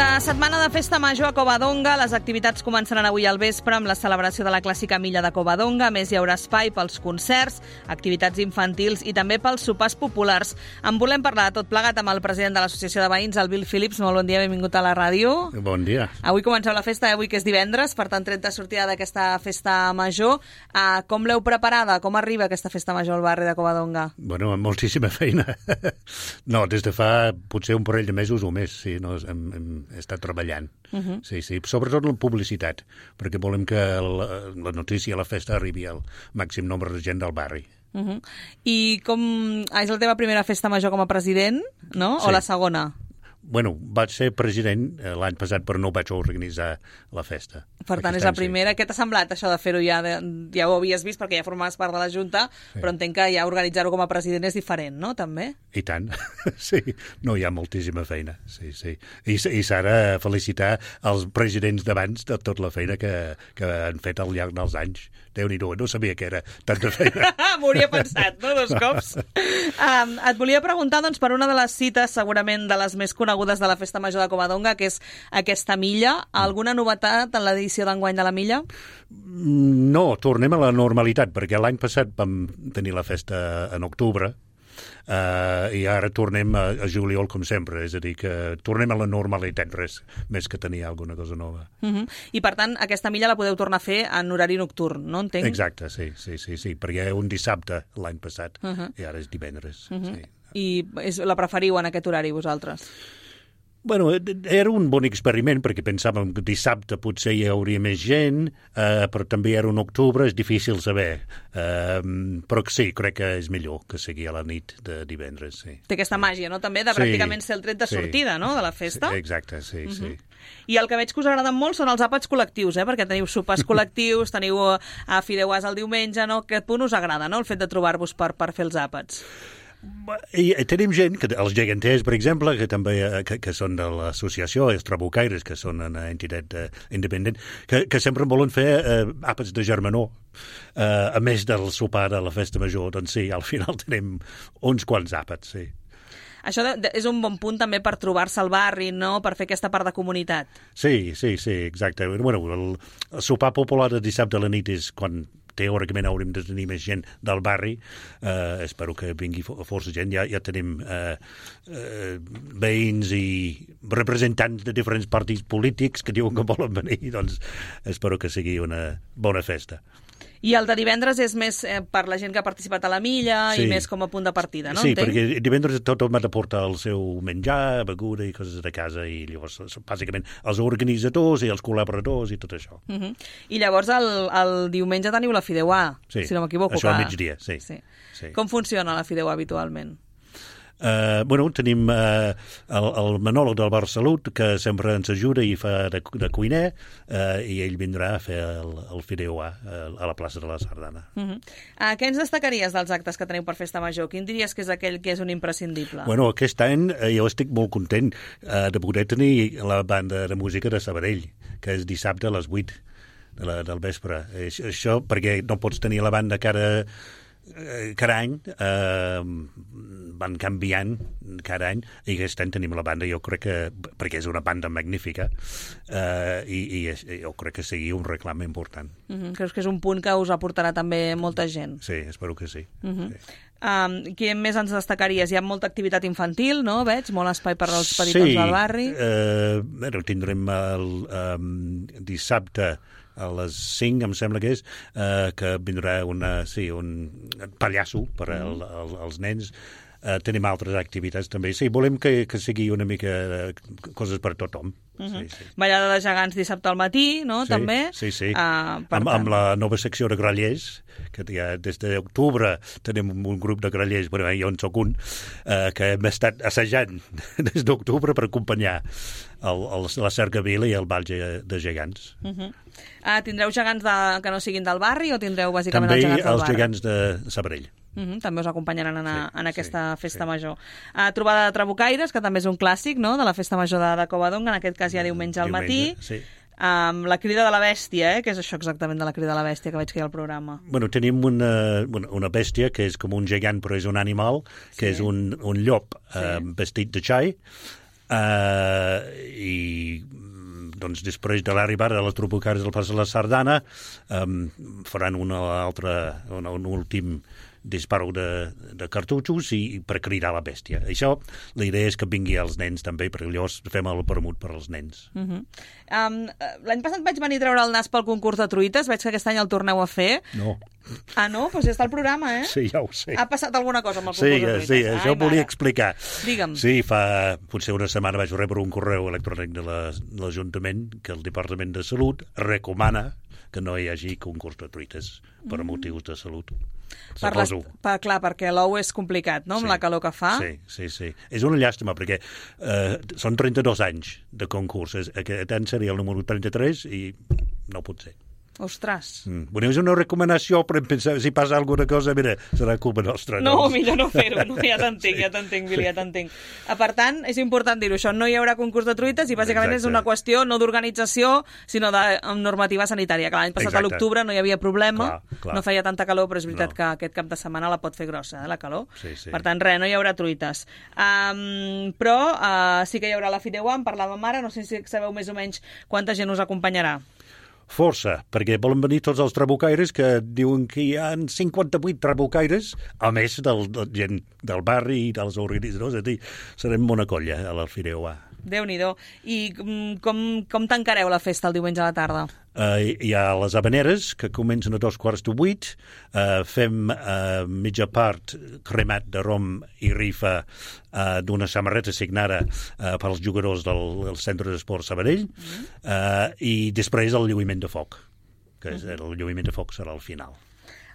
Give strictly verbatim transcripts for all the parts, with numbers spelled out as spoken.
De setmana de festa major a Covadonga, les activitats començaran avui al vespre amb la celebració de la clàssica milla de Covadonga. A més, hi haurà espai pels concerts, activitats infantils i també pels sopars populars. En volem parlar de tot plegat amb el president de l'Associació de Veïns, el Bill Phillips. Molt bon dia, benvingut a la ràdio. Bon dia. Avui comenceu la festa, avui que és divendres, per tant, tret de sortida d'aquesta festa major. Uh, com l'heu preparada? Com arriba aquesta festa major al barri de Covadonga? Bueno, amb moltíssima feina. No, des de fa potser un parell de mesos o més, sí, no, hem, hem estat treballant. Uh-huh. Sí, sí, sobretot la publicitat, perquè volem que la, la notícia, la festa arribi al màxim nombre de gent del barri. Uh-huh. I com... Ah, és la teva primera festa major com a president, no? Sí. O la segona? Bueno, vaig ser president l'any passat, però no vaig organitzar la festa. Per tant, és la primera. Què t'ha semblat, això de fer-ho ja? De, ja ho havies vist, perquè ja formaves part de la Junta, sí. Però entenc que ja organitzar-ho com a president és diferent, no?, també? I tant. Sí, no, hi ha moltíssima feina. Sí, sí. I, i s'ha de felicitar els presidents d'abans de tota la feina que, que han fet al llarg dels anys. Déu-n'hi-do, no sabia que era tanta feina. M'ho hauria pensat, no?, dos cops. Um, et volia preguntar, doncs, per una de les cites, segurament de les més conegudes de la Festa Major de Covadonga, que és aquesta milla. Alguna novetat en l'edició d'enguany de la milla? No, tornem a la normalitat, perquè l'any passat vam tenir la festa en octubre, Uh, i ara tornem a, a juliol com sempre, és a dir, que tornem a la normalitat, res més que tenir alguna cosa nova. Uh-huh. I per tant, aquesta milla la podeu tornar a fer en horari nocturn, no entenc? Exacte, sí, sí, sí, sí, perquè un dissabte l'any passat, uh-huh. I ara és divendres. Uh-huh. Sí. I és, la preferiu en aquest horari, vosaltres? Bueno, era un bon experiment, perquè pensàvem que dissabte potser hi hauria més gent, eh, però també era un octubre, és difícil saber. Eh, però sí, crec que és millor que sigui a la nit de divendres, sí. Té aquesta màgia, no?, també, de sí, pràcticament ser el tret de sí. sortida, no?, de la festa. Sí, exacte, sí, uh-huh. sí. I el que veig que us agraden molt són els àpats col·lectius, eh?, perquè teniu sopars col·lectius, teniu a fideuàs el diumenge, no?, aquest punt us agrada, no?, el fet de trobar-vos per, per fer els àpats. I tenim gent, que, els geganters, per exemple, que també que, que són de l'associació, els trabucaires, que són una entitat uh, independent, que, que sempre volen fer uh, àpats de germanor. Uh, a més del sopar de la festa major, doncs sí, al final tenim uns quants àpats, sí. Això de, de, és un bon punt també per trobar-se al barri, no?, per fer aquesta part de comunitat. Sí, sí, sí, exacte. Bueno, el, el sopar popular de dissabte a la nit és quan teòricament haurem de tenir més gent del barri. Uh, espero que vingui força gent. Ja, ja tenim uh, uh, veïns i representants de diferents partits polítics que diuen que volen venir, doncs espero que sigui una bona festa. I el de divendres és més eh, per la gent que ha participat a la milla, sí. I més com a punt de partida, no? Sí, entenc? Perquè divendres tothom ha de portar el seu menjar, beguda i coses de casa, i llavors, bàsicament, els organitzadors i els col·laboradors i tot això. Uh-huh. I llavors el, el diumenge teniu la fideuà, sí. Si no m'equivoco. Això que... al migdia, sí. sí. sí. Com funciona la fideuà habitualment? Uh, bueno, tenim uh, el, el Manolo del Bar Salut, que sempre ens ajuda i fa de, de cuiner, uh, i ell vindrà a fer el, el fideuà uh, a la plaça de la Sardana. Uh-huh. uh, què ens destacaries dels actes que teniu per Festa Major? Quin diries que és aquell que és un imprescindible? Bueno, aquest any uh, jo estic molt content uh, de poder tenir la banda de música de Sabadell, que és dissabte a les vuit de la, del vespre. Això, això perquè no pots tenir la banda cada... cada any eh, van canviant cada any i aquest any tenim la banda, jo crec que perquè és una banda magnífica eh, i, i jo crec que sigui un reclam important. Uh-huh. Creus que és un punt que us aportarà també molta gent? Sí, espero que sí. Uh-huh. sí. Um, què més ens destacaries? Hi ha molta activitat infantil, no? Veig? Molt espai per als petitons sí, del barri. Sí, eh, bueno, tindrem el um, dissabte a les cinc, em sembla que és, eh, que vindrà una, sí, un pallasso per al, al, als nens. Eh, tenim altres activitats també. Sí, volem que, que sigui una mica eh, coses per tothom. Uh-huh. Sí, sí. Ballada de gegants dissabte al matí, no? Sí, també. Sí, sí. Uh, amb, amb la nova secció de grallers, que ja des d'octubre tenim un grup de grallers, bueno, jo en soc un, eh, que hem estat assajant des d'octubre per acompanyar el, el, la cercavila i el ball de gegants. Uh-huh. uh, tindreu gegants de, que no siguin del barri o tindreu bàsicament també els gegants del barri? També els gegants de Sabadell. Uh-huh, també us acompanyaran en, a, sí, en aquesta sí, festa sí. major. Uh, trobada de trabucaires, que també és un clàssic, no?, de la festa major de, de Covadonga, en aquest cas ja diumenge al matí. Sí. Um, la crida de la bèstia, eh? Què és això exactament de la crida de la bèstia que veig que hi ha al programa? Bueno, tenim una, una bèstia que és com un gegant però és un animal, que sí. és un, un llop sí. eh, vestit de xai, Uh, I doncs, després de l'arribada de les trupucaires del Pas de la Sardana, um, faran una altra, un, un últim disparo de, de cartutxos i, i per cridar la bèstia. Això, la idea és que vingui als nens també, perquè llavors fem el permut per als nens. Uh -huh. um, L'any passat vaig venir a treure el nas pel concurs de truites, veig que aquest any el torneu a fer. No. Ah, no? Doncs ja està el programa, eh? Sí, ja ho sé. Ha passat alguna cosa amb el concurs sí, de truites? Sí, Ai, això ho volia explicar. Digue'm. Sí, fa potser una setmana vaig rebre un correu electrònic de l'Ajuntament que el Departament de Salut recomana que no hi hagi concurs de truites per mm. motius de salut. Per les, per, clar, perquè l'ou és complicat, no?, amb sí, la calor que fa. Sí, sí, sí. És una llàstima, perquè eh, són trenta-dos anys de concurs. Aquest any seria el número trenta-tres i no pot ser. Ostres. Mm. Bueno, és una recomanació, però pensar, si passa alguna cosa, mira, serà culpa nostra. No, no millor no fer-ho. No, ja t'entenc, ja t'entenc, Billy, ja t'entenc. Per tant, és important dir-ho, això no hi haurà concurs de truites i bàsicament Exacte. És una qüestió no d'organització, sinó de normativa sanitària. L'any passat Exacte. A l'octubre no hi havia problema, clar, clar. No feia tanta calor, però és veritat no. que aquest cap de setmana la pot fer grossa, eh, la calor. Sí, sí. Per tant, res, no hi haurà truites. Um, però uh, sí que hi haurà la Fideuà, en parlàvem ara, no sé si sabeu més o menys quanta gent us acompanyarà. Força, perquè volen venir tots els trabucaires que diuen que hi ha cinquanta-vuit trabucaires, a més del, del gent del barri i dels organitzadors, és a dir, serem una colla a l'Alfireuà. Déu-n'hi-do. I com, com tancareu la festa el diumenge a la tarda? Uh, hi ha les habaneres, que comencen a dos quarts de vuit. Uh, fem uh, mitja part cremat de rom i rifa uh, d'una samarreta signada uh, pels jugadors del, del Centre d'Esport Sabadell. Mm. Uh, I després el lluïment de foc, que és, el lluïment de foc serà al final.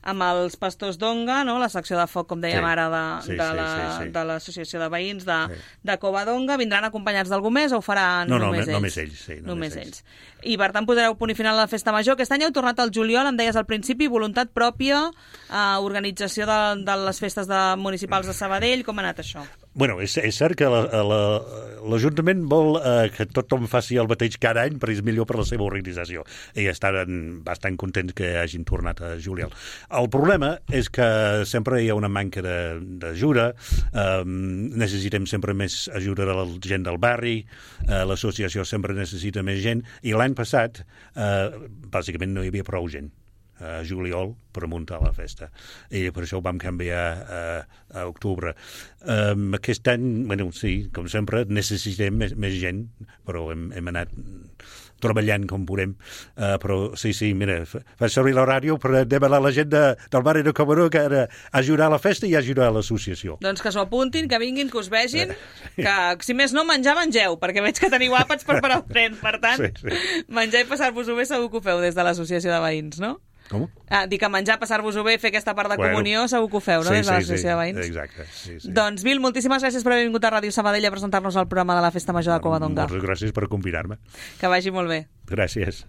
Amb els pastors d'Onga, no? La secció de foc, com dèiem sí, ara, de, sí, de, la, sí, sí, sí. de l'Associació de Veïns de, sí. de Covadonga. Vindran acompanyats d'algú més o ho faran no, només no, ells? Només ells, sí. Només, només ells. ells. I, per tant, posareu punt i final a la festa major. Aquest any heu tornat al juliol, em deies al principi, voluntat pròpia, eh, organització de, de les festes de, municipals de Sabadell. Com ha anat això? Bueno, és, és cert que l'Ajuntament la, la, vol eh, que tothom faci el mateix cada any, perquè és millor per la seva organització. I estan bastant contents que hagin tornat a juliol. El problema és que sempre hi ha una manca d'ajuda, eh, necessitem sempre més ajuda de la gent del barri, eh, l'associació sempre necessita més gent, i l'any passat, eh, bàsicament no hi havia prou gent a juliol per muntar la festa. I per això ho vam canviar a, a octubre. Um, aquest any, bueno, sí, com sempre, necessitem més, més gent, però hem, hem anat treballant com podem. Uh, però sí, sí, mira, fa servir la ràdio per demanar a la gent de, del barri de Covadonga que ara ajudar a la festa i ajudar a l'associació. Doncs que s'ho apuntin, que vinguin, que us vegin, que si més no menjar, mengeu, perquè veig que teniu àpats per parar el tren. Per tant, sí, sí. menjar i passar-vos-ho bé segur que ho feu des de l'Associació de Veïns, no? Com? Ah, dic que menjar, passar-vos-ho bé, fer aquesta part de bueno, comunió, segur que ho feu, no? Sí, des de sí, l'Associació sí, de Veïns. Exacte. Sí, sí. Doncs, Bill, moltíssimes gràcies per haver vingut a Ràdio Sabadell a presentar-nos el programa de la Festa Major de Covadonga. Moltes gràcies per convidar-me. Que vagi molt bé. Gràcies.